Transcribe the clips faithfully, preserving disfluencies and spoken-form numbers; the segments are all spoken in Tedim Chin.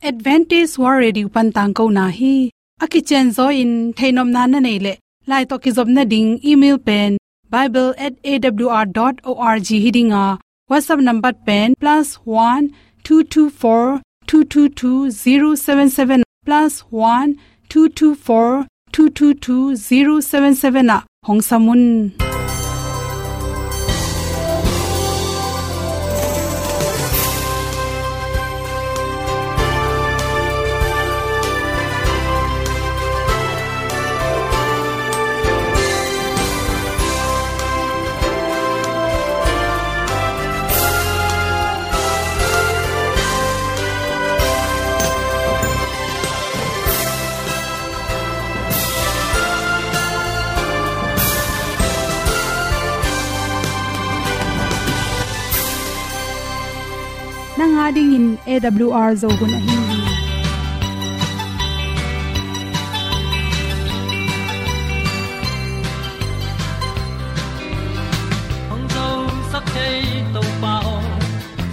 Adventist World Radio pan tangkona hi. A kicianzaw in theihnopna na neih leh, lai tawh kizopna ding email pen bible at A W R dot org hi ding a, WhatsApp number pen plus one two two four two two two zero seven seven, plus one two two four two two two zero seven seven ah hong sam un. Nang a dingin A W R Zo hun ahi hi. Hong zosak thei Topa aw,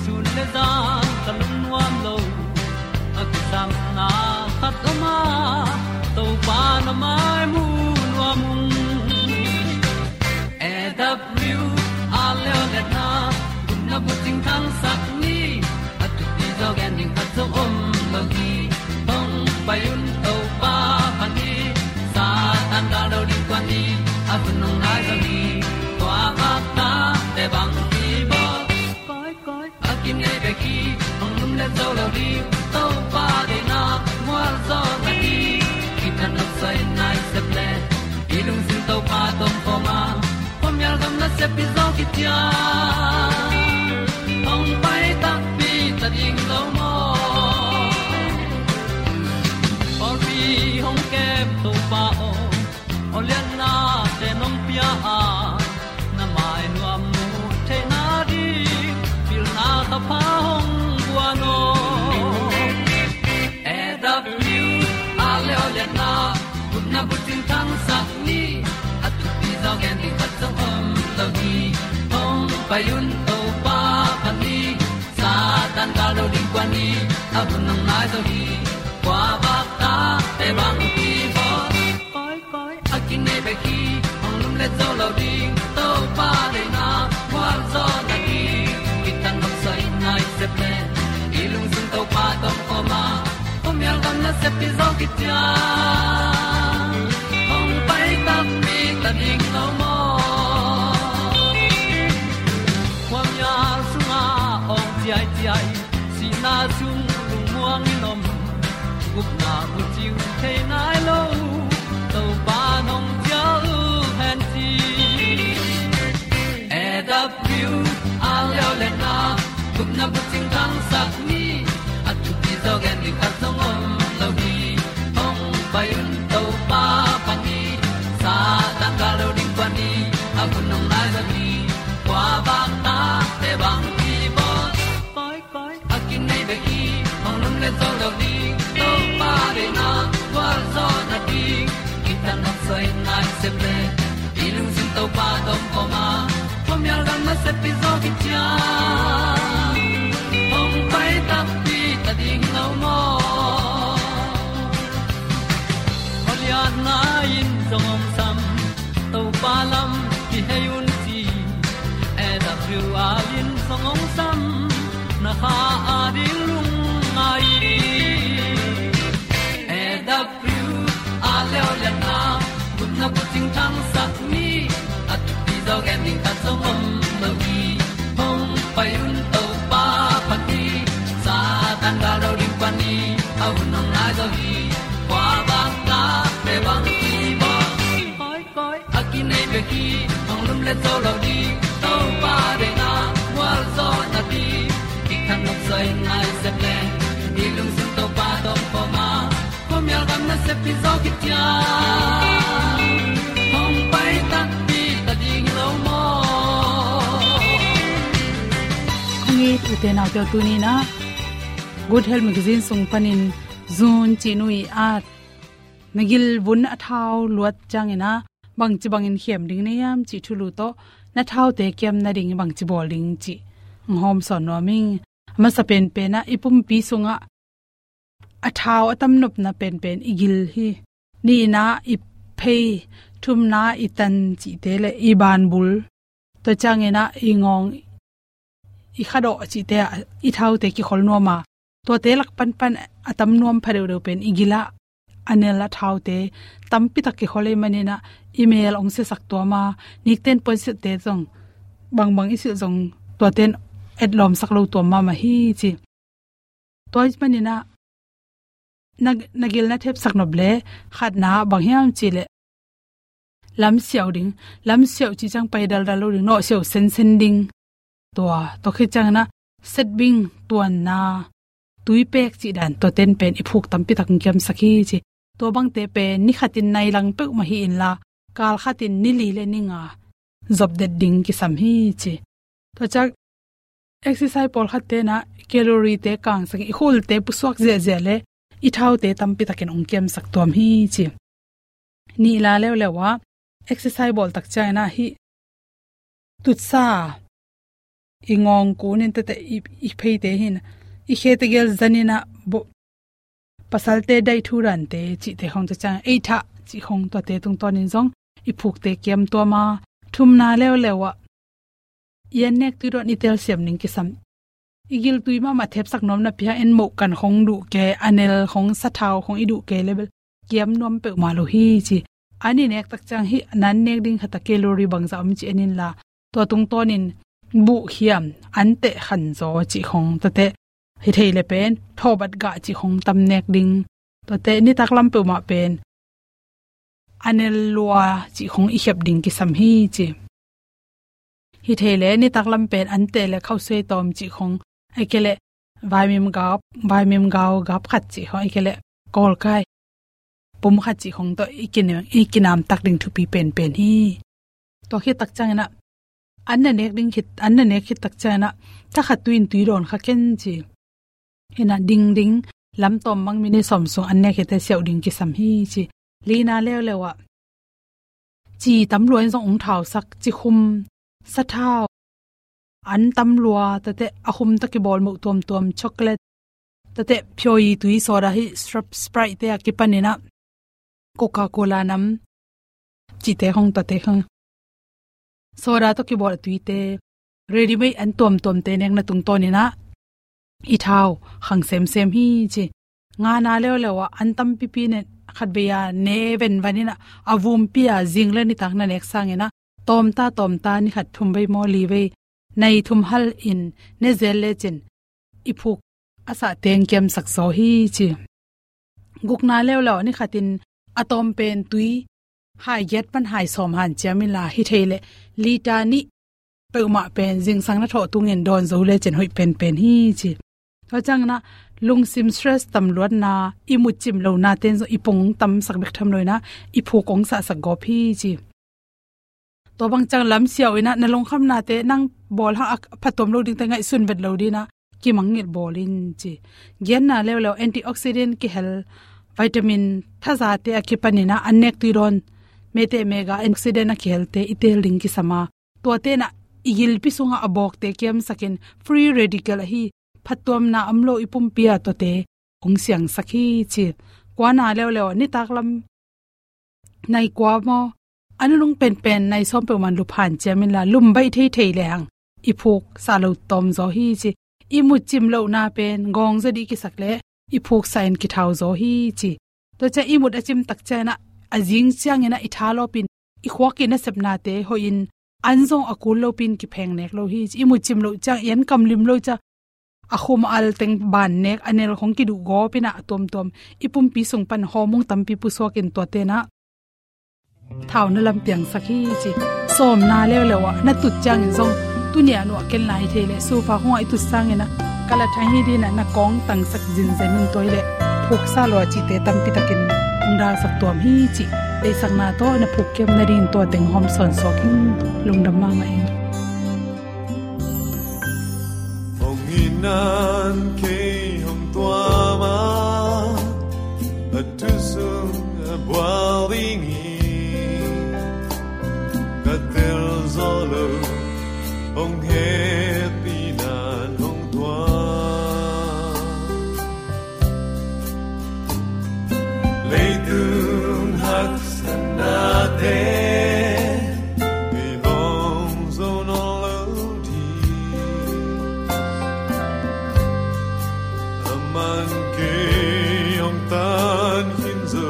sun le zan ka lungnuam lo. A kisapna khat om a, Topa na mai mu nuam ung. A W R Leolehna, gupna bucing thangsak ni, a thupi zaw gen ding khat zong om lo hi. Hong pai un Topa phat ni, Satan gal lo ding kuan ni, a hun hong nai zaw hi. Tua bak ta te bang hi bawl. Koi, koi, a kinei bek hi, hong lumlet zo lo ding, Topa deihna mualzawhna ding, kithat nopsai nai sep le, i lungsim Topa tawh om khawm a, khuamial gam nasep hi zaw kician, hong pai takpi ta ding lo maw. Pawlpi hong kem Topa aw, awlianna te nong pia a, na mai nuam mu theihna ding, pilna thapha hong guan aw. A W R Leolehna, gupna bucing thangsak ni, a thupi zaw gen ding khat zong om lo hi. Hong pai un Topa phat ni, Satan gal lo ding kuan ni, a hun hong nai zaw hi. Kua bak ta te bang hi bawl. Koi, koi, a kinei bek hi, hong lumlet zo lo ding, Topa deihna mualzawhna ding, kithat nopsai nai sep le, i lungsim Topa tawh om khawm a, khuamial gam nasep hi zaw kician, hong pai takpi ta ding lo maw. Khuamial sungah awng ciaiciai, sihna sung lungmuang in om, gupna bucing thei nai lo, Topa nong cial hen ci. A W R Leolehna, gupna bucing thangsak ni, a thupi zaw gen ding khat zong om lo hi. Hong pai un Topa phat ni, Satan gal lo ding kuan ni, a hun hong nai zaw hi. Kua bak ta te bang hi bawl. Koi, koi, a kinei bek hi, hong lumlet zo lo ding, Topa deihna mualzawhna ding, kithat nopsai nai sep le, i lungsim Topa tawh om khawm a, khuamial gam nasep hi zaw kician, hong pai takpi ta ding lo maw. Awlianna in zong hong sam, Topa lam kihei un ci, A W R in zong hong sam, na kha a ding lungngai. A W R Leolehna, gupna bucing thangsak ni, a thupi zaw gen ding khat zong om lo hi. Hong pai un Topa phat ni, Satan gal lo ding kuan ni, a hun hong nai zaw hi. Kua bak ta te bang hi bawl. Koi, koi, a kinei bek hi, hong lumlet zo lo ding, Topa deihna mualzawhna ding, kithat nopsai nai sep le, i lungsim Topa tawh om khawm a, khuamial gam nasep hi zaw kician, hong pai takpi ta ding lo maw. Kong it ute naute aw, tuni in ah Good Health Magazine sung panin Zun cih nu i at, na gilvun a thau luat ciangin ah bangci bangin khem ding na hiam cih thulu tawh, na thaute kiam nading bangci bawl ding cih hong hawmsawn nuam ing. A masa penpen ah i pumpi sungah a thau a tam nopna penpen i gil hi. Nihna i phei, thumna i tan cihte le i banbul, tua ciangin ah i ngawng, i khadawh cihte ah i thaute kikhol nuam a, tuate lak panpan a tam nuam pha deuhdeuh pen i gil ah a nel a thaute tampi tak kikhol ahih manin ah i mel hong siasak tuam a, nikten puansilhte zong bangbang i silh zong tuate in etlawmsak lo tuam mahmah hi ci. Tua ahih manin ah na, na gil na thepsak nop leh khatna bang hiam cih leh lamsiau ding, lamsiau cih ciang pai daldal lo ding, nawhsiau sensen ding. Tua, tua khit ciangin ah setbing, tuanna, tuipek cih dan, tuate in pen i phuk tampi tak hong kiamsak hi ci. Tua bangte pen ni khatin nai lang peuhmah hi inla, kal khatin ni li le ni nga zop det ding kisam hi ci. Tua ciang exercise pawlkhatte in ah calorie-te kangsak, i khulte pusuak ziahziah le i thaute tampi takin hong kiamsak tuam hi ci. Nihna leuleu ah exercise bawl tak ciangin ah hih tutsa, i ngawng kun in tete, i, i pheite hi in, i khete gel zan in ah bo-, pasalte daih thu dante cihte khong, tua ciang ei thah cih khong, tuate tungtawnin zong i phukte kiam tuam a, thumna leuleu ah i annek tui dawn i telsiam ding kisam. I giltui mahmah thepsak nuam napi hang en moh kan khong duh kei, a nel khong, sathau khong i duh kei leh bel kiam nuam peuhmah lo hi ci. An i nek tak ciang hih na annek ding khat ah calorie bangzah om cih en inla, tua tungtawnin buh hiam, anteh khanzaw cih khong, tuate hi thei leh pen thawbat gah cih khong tam nek ding. Tuate nitak lam peuhmah pen a nel lua cih khong i khiap ding kisam hi ci. Hi thei leh nitak lam pen anteh le khausuai tawm cih khong, ahih kei leh vaimim gap, vaimim gau gap khat cih khong, ahih kei leh kawlkai pum khat cih khong tawh i kinam, i kinamtak ding thupi penpen hi. Tua khit tak ciangin ah an na nek ding khit, an na nek khit tak ciangin ah thakhat tui in tui dawn kha ken ci. Hi in ah dingding lamtawm bang minute sawm sung an nek khit teh siau ding kisam hi ci. Lina leuleu ah ci tam lua in zong hong thausak, cikhum, sathau, an tam lua, tuate a khum tawh kibawl moh tuamtuam, chocolate, tuate phiawi tui, soda, hih Sprite-te a kipanin ah Coca-Cola nam cihte khong, tuate khong, soda tawh kibawl a tuite, ready-made an tuamtuamte nekna tungtawnin ah i thau khang semsem hi ci. Ngana leuleu ah an tampipi ne, khatvei a ne venvan in ah a vumpi a zing le nitak na nek sangin ah tawmta tawmta, ni khat thum vei maw, li vei, nai thum hal in ne zel lecin i phuk a sah teng kiamsak zaw hi ci. Gukna leuleu ni khatin a tawm pen tui hai giat pan hai sawm hanciam inla, hi thei leh liter nih peuhmah pen zingsang na thawh tungin dawn zo lecin hoih penpen hi ci. Tua ciangin ah lungsim stress tam luatna, i mutcim lohna ten zong i pung tamsak bek tham lo in ah i phuk hong sahsak gawp hi ci. Tua bang ciang lamsiau in ah na lungkhamnate nang bawl hang a phattuam lo dingte ngaihsun vet lo dingin ah kimangngilh bawl in ci. Giatna leuleu antioxidant kihel, vitamin thazate a kipanin ah an nek tui dawn, mete mega antioxidant a kihelte i teel ding kisam a, tuate in ah i gilpi sungah a bawkte kiamsakin, free radical ahi, phattuamna om lo i pumpi ah tuate hong siangsak hi ci. Kuana leuleu ah nitak lam nai kua maw, a nunung penpen nai sawm peuhmah lup hanciam inla, lum baih theithei lehang i phuk sah lo tawm zaw hi ci. I mutcim lohna pen gawng zaw dih kisak leh i phuk sah in kithau zaw hi ci. Tua ciang i mut a cim tak ciangin ah a zing ciangin ah i tha lawpin, i khuak i nasepnate hoihin an zong a kul lopin kipheng nek lo hi ci. I mutcim loh ciang, i an kam lim loh ciang a khum a al teng ban nek, a nel khong kiduh gawp in ah a tuamtuam i pumpi sung pan hormone tampi pusuakin tuate in ah thau na lam piangsak hi ci. Sawmna leuleu ah na tut ciangin zong tuni a nuah ken lai thei leh, sofa khong ah i tut sangin ah kal a thang hi dingin ah na kawng tangsak zinzen in, tua hi leh phuksa lua cihte tampi takin hong dalsak tuam hi ci. Deihsakna tawh na phuk kiam nadingin tua teng hawm sawnsuak ing. Lungdam mahmah ing. Hong in nan kei hong tuam a, a thu sung a bual ding hi. Ka tel zaw lo, hong hehpih nan hong tuam. Kei hong tan khin zo.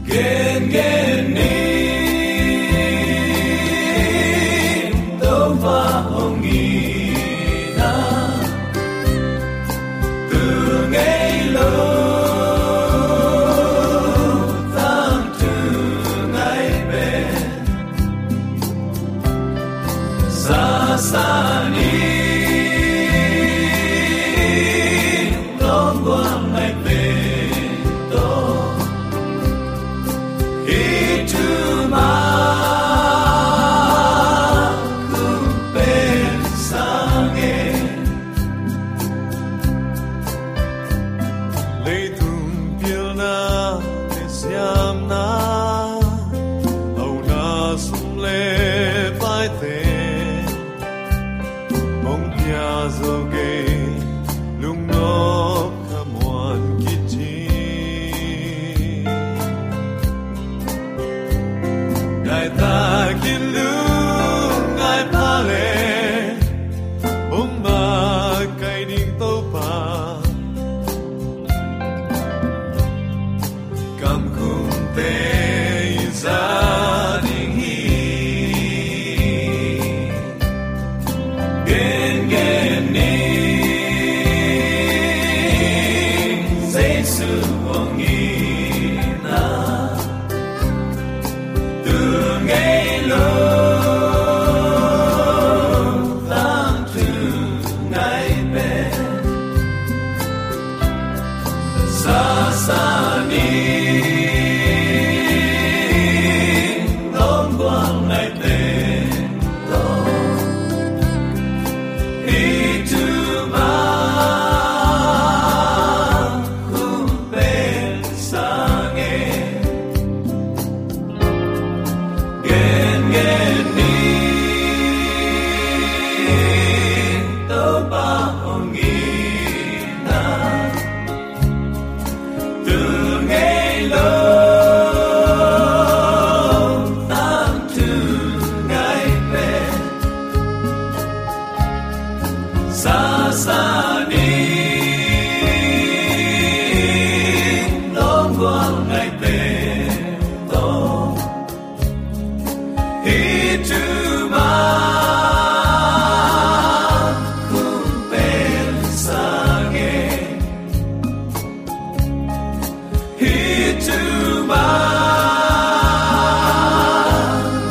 Gen gen ni, Topa hong itna. Tu ngei lo, tangthu ngai pen. Sasa ni, longgual ngai pen to. Hi thu ma, khumpel sang e. Leitung pilna le siamna, auna sum le paite, hong pia zo kei, lungnop khamuan kici. Daitakin lungngai pha le, hong makaih ding Topa. Kamkhumte i za ding hi. Gen gen ni, Jesu hong itna. Tu ngei lo, tangthu ngai pen. Sasa ni, longgual ngai pen to. Hi thu ma, khumpel sang e. Gen gen ni, Topa hong itna. Tu ngei lo, tangthu ngai pen. Sasa ni, longgual ngai pen to. Hi thu ma, khumpel sang e. Hi thu ma,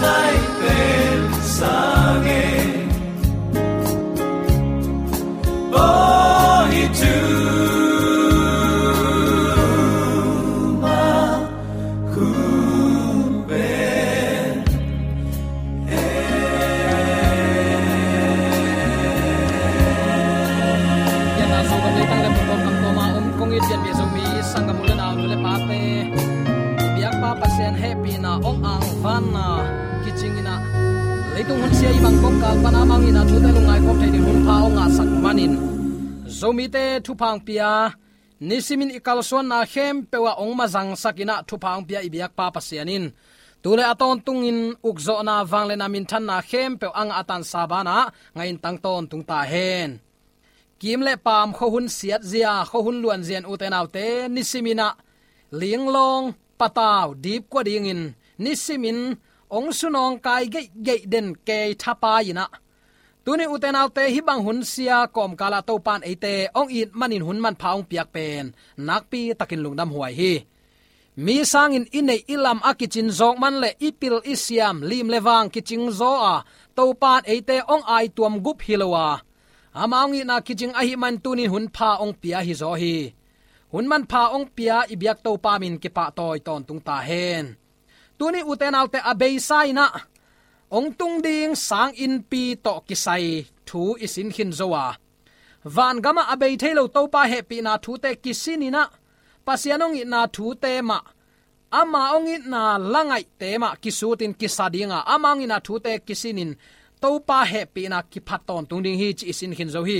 ngai pen sang e. Oh, hi thu ma, khumpel. Pianna sangkam leitang le pumkam kawma om kong it pianpih Zomi sanggam u le nau, nu le pate, biakpa Pasian hehpihna hong angvanna kicing in ah, leitung hun sia i bang kongkal pan amau in ah thute lungngai khawm thei ding hun pha hong ngahsak manin, Zomite thupha hong pia, nisimin i kalsuanna khempeuh ah hong mazangsak in ah thupha hong pia i biakpa Pasian in tu le a tawntungin ukzawhna, vangliatna, minthanna khempeuh a ngah a tansa banah ngahin tang tawntung ta hen. Kim le paam, khuahun siatzia, khuahun luanzia in, ute naute, nisimin ah linglawng, patau, dipkua dingin nisimin hong sunawngkai geihgeih den kei thapai in ah, tuni ute naute, hih bang hun sia kawmkal ah Topa in eite hong it manin hun manpha hong piak pen nakpi takin lungdam huai hi. Mi sangin i neih i lam a kicin zawk man le i pil i siam, lim le vang kicing zaw a, Topa in eite hong aituam gup hi lo a, ama hong itna kicing ahih man tunin hun pha hong pia hi zaw hi. Hun manpha hong pia i biak Topa min kipahtawi tawntung ta hen. Tuni ute naute, a beisa in ah hong tung ding sanginnpi tawh kisai thu i sin khin zo a, vangamah a bei thei lo Topa hehpihna thute kisin in ah, Pasian hong itna thute mah, ama hong itna la ngaihte mah kisutin kisa ding a, ama hong itna thute kisinin Topa hehpihna kiphat tawntung ding hi, ci i sin khin zo hi.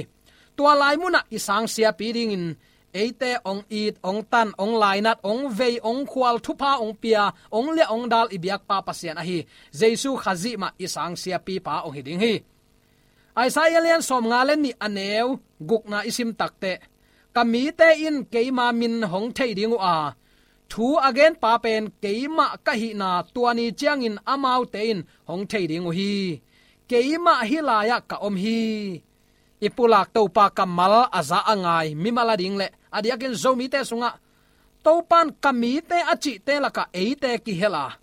Tua lai munah i sang siapi dingin eite hong it, hong tan, hong lainat, hong vei, hong khual, thupha hong pia, hong liah hong dal i biakpa Pasian ahi Jesu Khazih mah i sang siapipa hong hi ding hi. Isaiah lian sawmnga le nih a neu gukna i sim takteh, ka mite in keima min hong thei ding uh a, thu a genpa pen keimah ka hihna tua ni ciangin amaute in hong thei ding uh hi. Keimah hih lai-ah ka om hi. I pulak Topa kammal a za a ngai mimal a ding le a diakin Zomite sungah Topan ka mite a cihte lakah eite kihel a,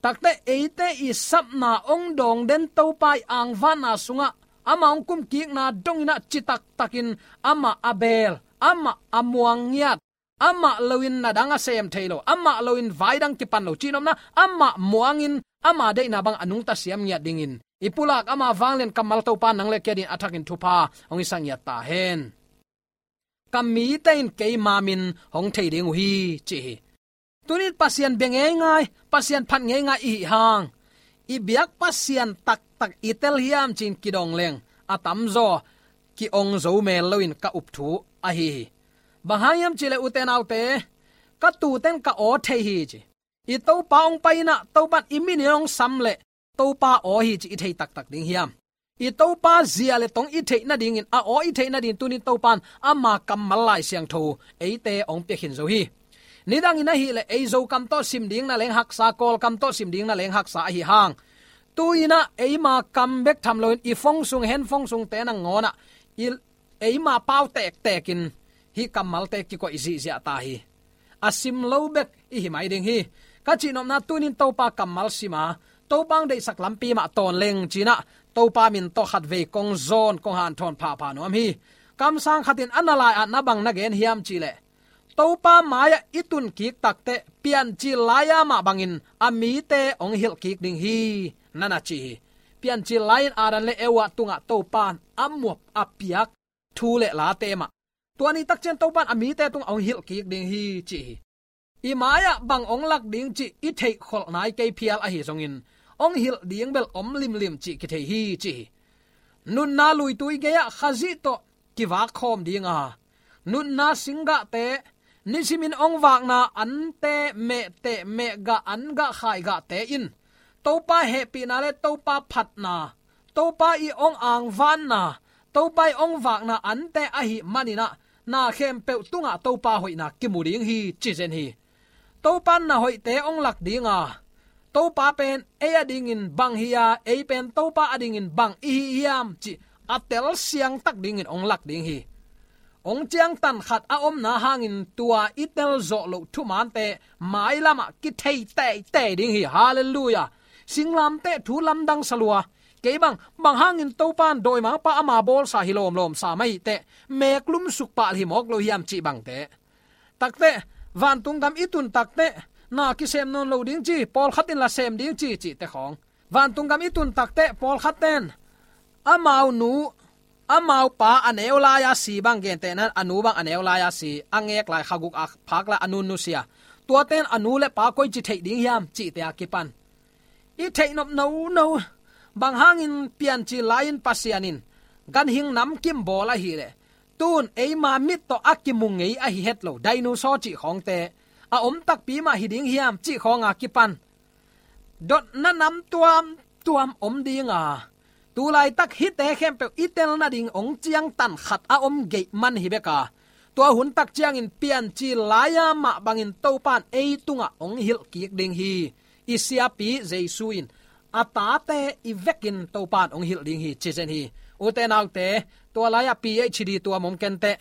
takte eite i sapna ong dawng den Topa i angvanna sungah ama ong kumkikna donginah citaktakin amah a beel, amah a muang ngiat, amah loin na dang a sem thei lo, amah loin vai dang kipan lo, cihnopna amah muangin ama deihna bang a nungta siam ngiat dingin i pulak ama vanglian kammal Topa nang le kei adingin a thakin thupha hong i sa ngiat ta hen. Ka mite in keima min hong thei ding uh hi, ci hi. Tunin Pasian bia ngeingai, Pasian phat ngeingai i hih hang, i biak Pasian taktak i tel hiam ci-in kidong leng a tamzaw ki-ong zo mel loin ka up thu ahi hi. Bang hang hiam cihleh, ute naute, ka tute'n ka aw thei hi, ci. I Topa ong pai inah Topan i minin ong sam leh Topa aw hi ci i thei taktak ding hiam? I Topa zia le tong i theih nadingin, a aw i theih nadingin tunin Topan ama kammal Lai Siangtho eite ong piakhin zo hi. Nidangin ahileh ei Zokam tawh sim ding na leng haksa, Kawlkam tawh sim ding na leng haksa ahi hang, tu-inah eima kam bek tham loin i phone sung, handphone sungte nangawnah i eima pau tektekin hih kammalte kikoih zihziah ta hi. A sim lo bek i hi mai ding hi. Ka cihnopna tunin Topa kammal sima, Topa ong deihsak lampi mah tawn leng ci-inah Topa min tawh khatvei kong zawn, kong hanthawn phapha nuam hi. Kamsang khatin a na lai-at na bang na gen hiam cihleh, Topa mai-ah i tunkik takteh Piancil lai-a mah bangin a mite ong hilhkik ding hi, na na ci hi. Piancil lai-in Adam le Eva tungah Topan a muap a piak thu le late mah tua ni takciang Topan a mite tungah ong hilhkik ding hi, ci hi. I mai-ah bang ong lak ding cih i theihkholh nai kei phial ahi zongin, ong hilh ding bel om limlim cih kithei hi, ci hi. Nunna luitui gei-ah Khazih tawh kivak khawm ding a, nunna singgahte, nisimin ong vakna ante, mehteh, mehgah, angah, khaigahte in Topa hehpihna le Topa phatna, Topa i ong angvanna, Topa i ong vakna ante ahih maninah na khempeuh tungah Topa hoihna kimu ding hi, ci zen hi. Topan na hoihte ong lak ding a, Topa pen ei adingin bang hi a, ei pen Topa adingin bang i hi hiam cih a telsiang tak dingin ong lak ding hi. Ong ciangtan khat a omna hangin tua i telzawh loh thumaante mailamah kithei teitei ding hi. Halleluiah. Singlamteh thu lamdang salua. Kei bang, bang hangin Topan dawimangpa ama bawlsa hi lawmlawmsa mah hi teh, meklum sukpah hi mawk lo hiam cih bangte. Takteh, vantung gam i tun takteh, na kisem nawn lo ding ci, pawlkhat in la sem ding ci, cihte khawng. Vantung gam i tun takteh, pawlkhat ten amau nu, amau pa a neu lai-a si bang gentehna, a nu bang a neu lai-a si, a ngek lai, kha guk a phak lai a nu nusia, tuaten a nu le pa koici theih ding hiam cihte a kipan i theihnop nono. Bang hangin Piancil lai-in Pasian in ganhing namkim bawl ahileh, tun eima mit tawh a kimu ngei ahi het lo dinosaur cih khawngte a om takpi mah hi ding hiam cih khawnga kipan dotna nam tuamtuam om ding a, tu laitak hihte khempeuh i tel nading ong ciangtan khat a om geih man hi bek a, tua hun tak ciangin Piancil lai-a mah bangin Topan ei tungah ong hilhkik ding hi. I siapi Jesu in a tate i vekin Topan ong hilh ding hi, ci zen hi. Ute naute, tua lai-ah P H D tuam om kenteh,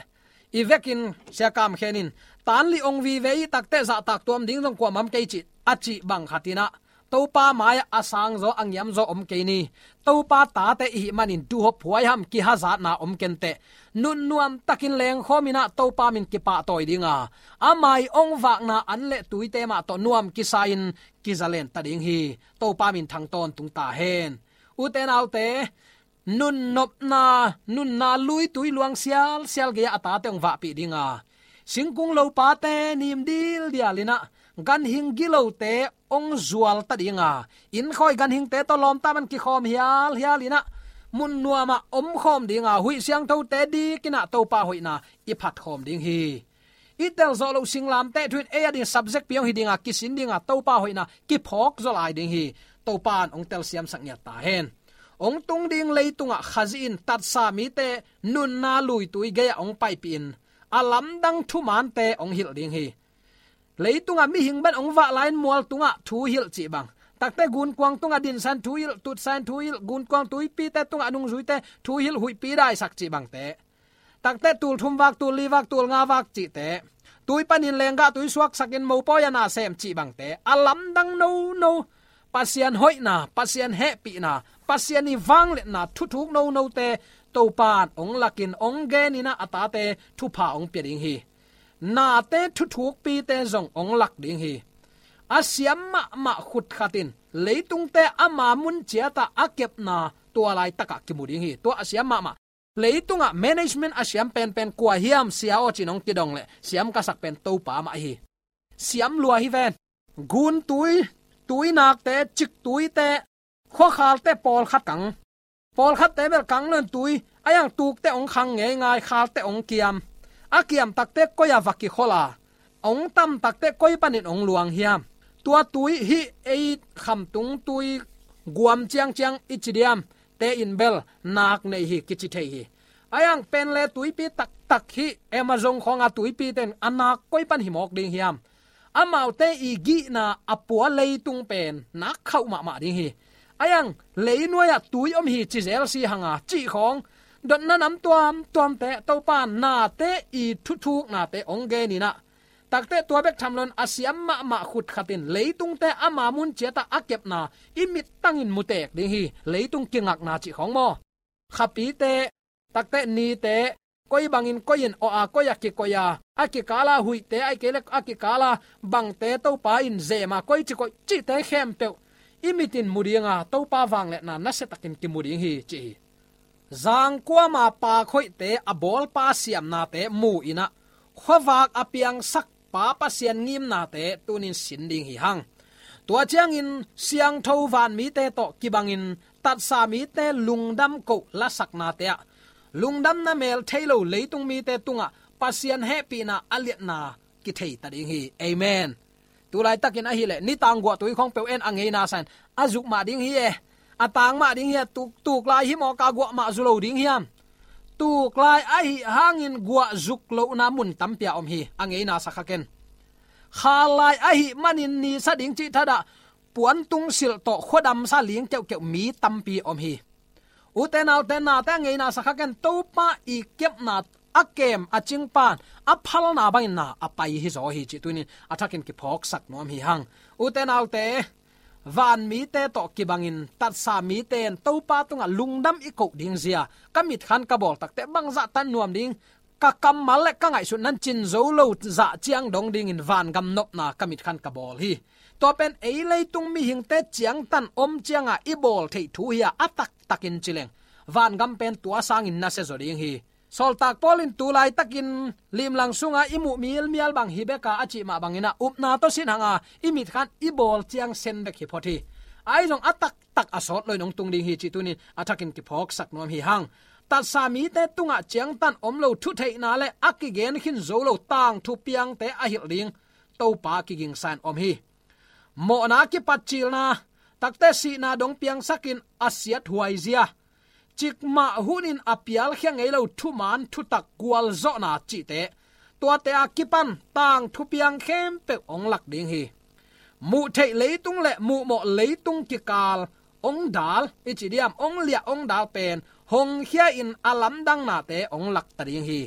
i vekin Sia Kam Khen in, tanli ong vive i takteh zahtak tuam ding zong kuamah om kei ci, a cih bang khatinah, Topa mai-ah a sangzaw a ngiamzaw om kei ni. Topa tate i hih manin duhhop huaiham kihazatna om kenteh, nunnuam takin lengkhawm inah Topa min kipahtawi ding a, ama i ong vakna an le tuite mah tawh nuam kisa-in kizalen ta ding hi. Topa min thang tawntung ta hen. Ute naute, nunnopna, nunna luitui luang sialsial gei-ah a tate ong vahpih ding a, singkung lopate nim dildial inah ganhing gilote ong zual ta ding a, innkhawi ganhingte tawh lawmta man kikhawm hialhial inah mun nuamah omkhawm ding a, huih siangthote dik inah Topa hoihna i phatkhawm ding hi. I telzawh loh singlamteh thu in ei ading subject pi ong hi ding a, kisin ding a, Topa hoihna kiphawk zaw lai ding hi. Topa in ong telsiamsak ngiat ta hen. hong tung ding leitungah Khazih in tatsa mite nunna luitui gei-ah hong paipih in a lamdang thumaante hong hilh ding hi. Leitungah mihing bang hong vah lai-in mual tungah thu hilh cih bang, takte gunkuang tungah dinsan thu hilh, tutsan thu hilh, gunkuang tuipite tungah nungzuite thu hilh, huihpi daisak cih bangte, takte tul thum vak, tul li vak, tul nga vak cihte, tui panin lenggah tui suaksakin mopawi a na sem cih bangte, a lamdang nono, Pasian hoihna, Pasian hehpihna, Pasian ii vangliatna thuthuk nonote Topa'n hong lakin hong genin ah a tate thupha hong pia ding hi. Nate thuthukpite zong hong lak ding hi. A siam mahmah khut khat in leitungte ama mun ciatah a kepna tua laitakah kimu ding hi. Tua a siam mahmah, leitungah management a siam penpen kua hiam, sia aw cin hong kidong leh siam ka sak pen Topa mah hi. Siam lua hi ven. Guntui, tuinakte, ciktuite, khuakhalte pawlkhat kang. Pawlkhatte bel kang nawn tui, a iang tukte hong khang ngeingai, khalte hong kiam. A kiam takte koi-ah va kikhol a, hong tam takte koi panin hong luang hiam? Tua tui hih ei khamtung tui guam ciangciang i ci diam, te in bel nak nei hi kici thei hi. A iang pen le tuipi taktak hih Amazon khawnga tuipite in a nak koi pan hi mawk ding hiam? Amaute ii gihna a pua leitung pen nak khauh mahmah ding hi. A iang leinuai-ah tui om hi ci zel si hang a cih khawng, dotna nam tuamtuamte Topa'n nate ii thuthuknate hong genin ah, takte tua bek tham loin a siam mahmah khut khat in leitungte ama mun ciatah a kepna i mittangin mutek ding hi. Leitung kingakna cih khawng maw? Khapite, takte nite, koi bangin koi in awh a, koi-ah kikoih a, a kikal a huihte, ahih kei leh a kikal a bangte Topa in zem a, koici koih cihte khempeuh i mit in mu ding a, Topa vangliatna nasiatakin kimu ding hi ci hi. Zangkuama pak hoihte, a bawlpa siamnate mu-in ah, khuavak a piangsak Pa Pasian ngimnate tuni-in sin ding hi hang. Tua ciangin siangtho vanmite tawh kibangin tatsa mite lungdam koh lasaknate ah, lungdamna mel thei lo leitung mite tungah Pasian hehpihna a liatna kithei ta ding hi. Amen. Tulaitakin ahih leh nitang guahtui khawng peuh en, a ngeina sa-in a zuk mah ding hi e. A tang mah ding hi e. Tuk, tuklai hi mawk a, guah mah zu lo ding hiam? Tuklai ahih hangin guah zuk lohna mun tampi a om hi. A ngeina sa kha ken. Khallai ahih manin nisa ding cih thadah, puantung silh tawh khuadamsa ling keuhkeuh mi tampi om hi. Ute naute, nate a ngeina sa kha ken. Topa ii kepna a kem a cingpan a phalna bangin na a pai hi zaw hi cih tuni-in a thakin kiphawksak nuam hi hang. Ute naute, vanmite tawh kibangin tatsa mite in Topa tungah lungdam i koh ding zia ka mitkhan ka bawl takte bangzah tan nuam ding, ka kammal le ka ngaihsutna in cin zo lo zah ciang dong dingin vangam nopna ka mitkhan ka bawl hi. Tua pen ei leitung mihingte ciangtan om cianga i bawl theih thu hi a, a taktakin ci leng vangam pen tua sangin nasia zaw ding hi. Sawltak Paul in tulaitakin limlang sunga i muh mialmial bang hi bek a, a cih mah bangin ah upna tawh sin hang a, i mitkhan i bawl ciang sen bek hi phot hi. Ahi zong a taktak a sawt loin hong tung ding hi cih tuni-in a thakin kiphawksak nuam hi hang. Tatsa mite tungah ciangtan om lo thutheihna le a kigen khin zo lo tangthu piangte a hilh ding Topa kigingsa-in om hi. Mawhna kipatcilna, takte sihna dong piangsakin a siathuai zia, cikmah hunin a pialkhia ngei lo thuman thutak gualzawhna cihte, tuate a kipan tangthu piang khempeuh hong lak ding hi. Muh theih leitung le muhmawh leitung kikal hong dal i ci diam, hong liah hong dal pen hong khia-in a lamdangnate hong lak ta ding hi.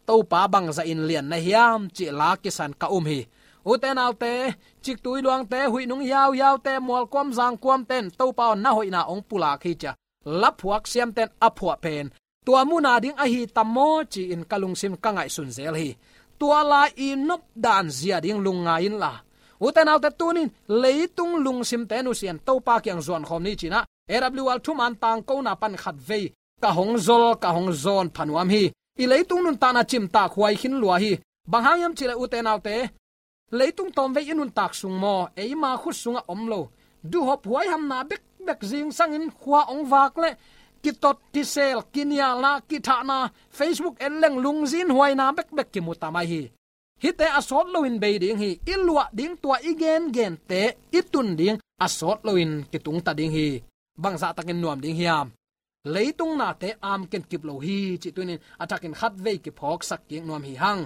Topa bangzahin lian na hiam cih la kisan ka um hi. Ute naute, ciktui luangte, huih nung hiauhiaute, mualkuam zangkuamte in Topa aw na hoihna hong pulak hi ci-a laphuak siamte in a phuah pen tua muna ding ahi tam maw ci-in ka lungsim ka ngaihsun zel hi. Tua lai i nopdan zia ding lungngai inla, ute naute, tuni-in leitung lungsimte nusia-in Topa kiang zuankhawm ni ci-in ah A W R thuman tangkona pan khatvei ka hong zol, ka hong zawn pha nuam hi. I leitung nuntakna cimtak huai khin lua hi. Bang hang hiam cih leh ute naute, leitung tawmvei i nuntak sung maw, eima khut sungah om lo duhhop huaihamna bekbek, zingsangin khua hong vak le kitot, kisel, kinialna, kithahna, Facebook en leng lungzin huaina bekbek kimu ta mai hi. Hihte a sawt loin bei ding hi. I luah ding, tua i gengente i tun ding a sawt loin kitung ta ding hi. bangzah takin nuam ding hiam? Leitung nate amken kip lo hi cih tunin a thakin khatvei kiphawksak kik nuam hi hang.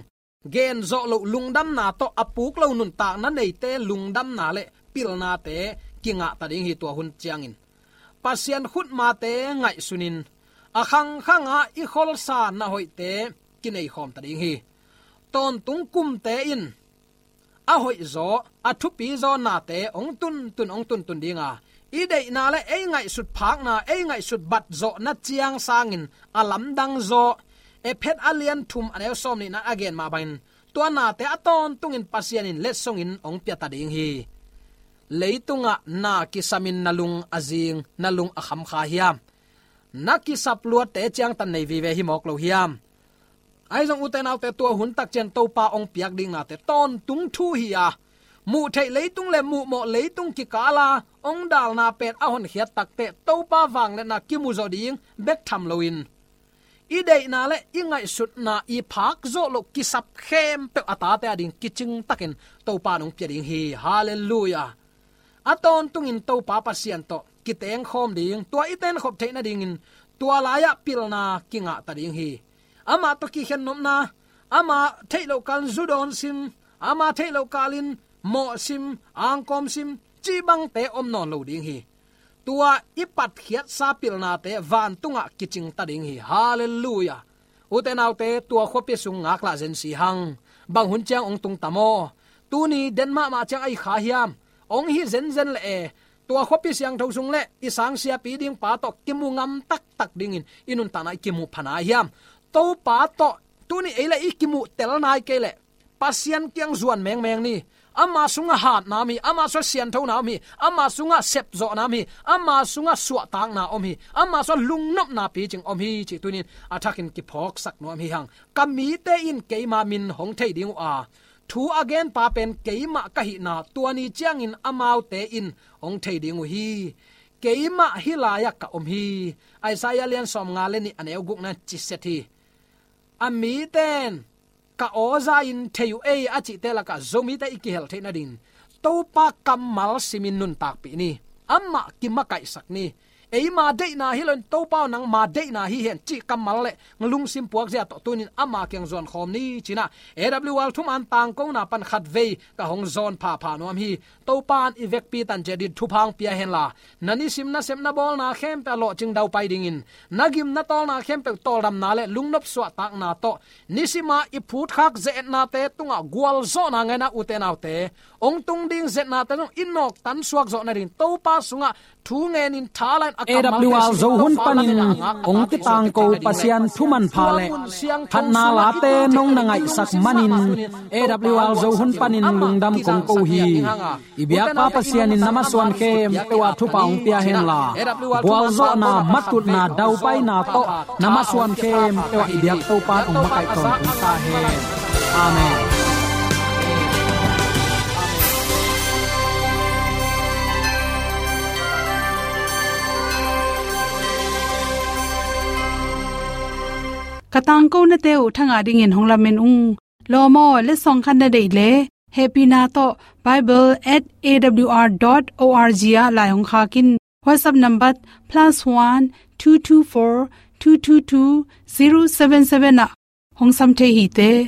Gen zawh loh lungdamna tawh a puk lo nuntakna neite lungdamna le pilnate kingahta ding hi tua hun ciangin. Pasian khutmate ngaihsunin a khangkhanga i kholsa na hoihte kineikhawmta ding hi. Tawntung kumte in a hoihzaw, a thupizaw nate hong tuntun, hong tuntun dinga, i deihna le ei ngaihsut phakna, ei ngaihsut batzawhna ciang sangin a lamdang zaw. Efesa a lian thum a neu sawm nihna a gen mah bangin tua nate a tawntungin Pasian in letsongin hong piata ding hi. Leitungah na kisamin na lung a zing, na lung a khamkha hiam? Na kisap luatte ciangtan nei vive hi mawk lo hiam? Ahi zong ute naute, tua hun takciang Topa hong piak ding nate tawntung thu hi a, muh theih leitung le muhmawh leitung kikala hong dalna pen a honkhiat takteh Topa vangliatna kimu zawh ding bek tham loin, i deihna le i ngaihsutna i phak zawh loh kisap khempeuh a tate a ding kicing takin Topa in hong pia ding hi. Halleluiah. A tawntungin Topa Pasian tawh kitengkhawm ding, tua i tenkhop theih nadingin tua lai-ah pilna kingahta ding hi. Amah tawh kikhen nopna, amah theih loh kalin zu dawn sim, amah theih loh kalin mawh sim, angkawm sim, cih bangte om nawn lo ding hi. Tua i patkhiatsa pilnate vantungah kicingta ding hi. Halleluiah. Ute naute, tua khuapi sung ngaklah zen si hang. Bang hun ciang hong tungta maw? Tuni den mahmah ciang a hi kha hiam? Hong hi zenzen le e. Tua khuapi siangtho sung le i sangsiapi ding pa tawh kimu ngam taktak dingin i nuntakna i kimu phana hiam? Topa tawh tuni ei le i kimuh tel nai kei leh Pasian kiang zuan mengmeng ni. Ama sungah hatna om hi, ama sungah sianthona om hi, ama sungah sepzawhna om hi, ama sungah suahtakna om hi, ama sungah lungnopna picing om hi cih tunin a thakin kiphawksak nuam hi hang. Ka mite in keima min hong thei ding uh a, thu a genpa pen keimah ka hihna tua ni ciangin amaute in hong thei ding uh hi. Keimah hih lai-ah ka om hi. Isaiah lian sawmnga le nih a neu gukna ciset hi. A mite in ka aw za-in thei uh ei a cihte lakah Zomite i kihel theih nadingin Topa kammal simin nuntakpih ni. Amah kimakaihsak ni. Eima deihna hi loin Topa aw nangma deihna hi hen cih kammal le lungsim puakzia tawh tunin ama kiang zuankhawm ni cinah A W R thuman tangkona pan khatvei ka hong zawn phapha nuam hi. Topa in i vekpi tan ciat dingin thupha hong pia henla, na nisim nasep na bawlna khempeuh a lawhcing daupai dingin, na gim na tawlna khempeuh tawldamna le lungnop suahtakna tawh nisima i phutkhak ze-etnate tungah gualzawhna ngaina ute naute, hong tung ding ze-etnate zong i nawktan suak zawh nadingin Topa sungah thu ngenin tha lain a kammalte A W R Zo hun panin hong kitangko Pasian thu manpha le phatna late nong na ngaihsak manin A W R Zo hun panin lungdam kong ko hi. I biakpa Pasian in na masuan khempeuh ah thupha hong pia henla, gualzawhna, matutna, daupaina tawh na masuan khempeuh ah i biak Topa in hong makaih tawntung ta hen. Amen. Ka tangkonate uh thangah dingin hong lamen ung. Lawm aw, letsong khat na deih leh hehpihna tawh bible at A W R dot O R G ah lai hong khak in. WhatsApp number plus one two two four two two two zero seven seven ah hong sam thei hi te.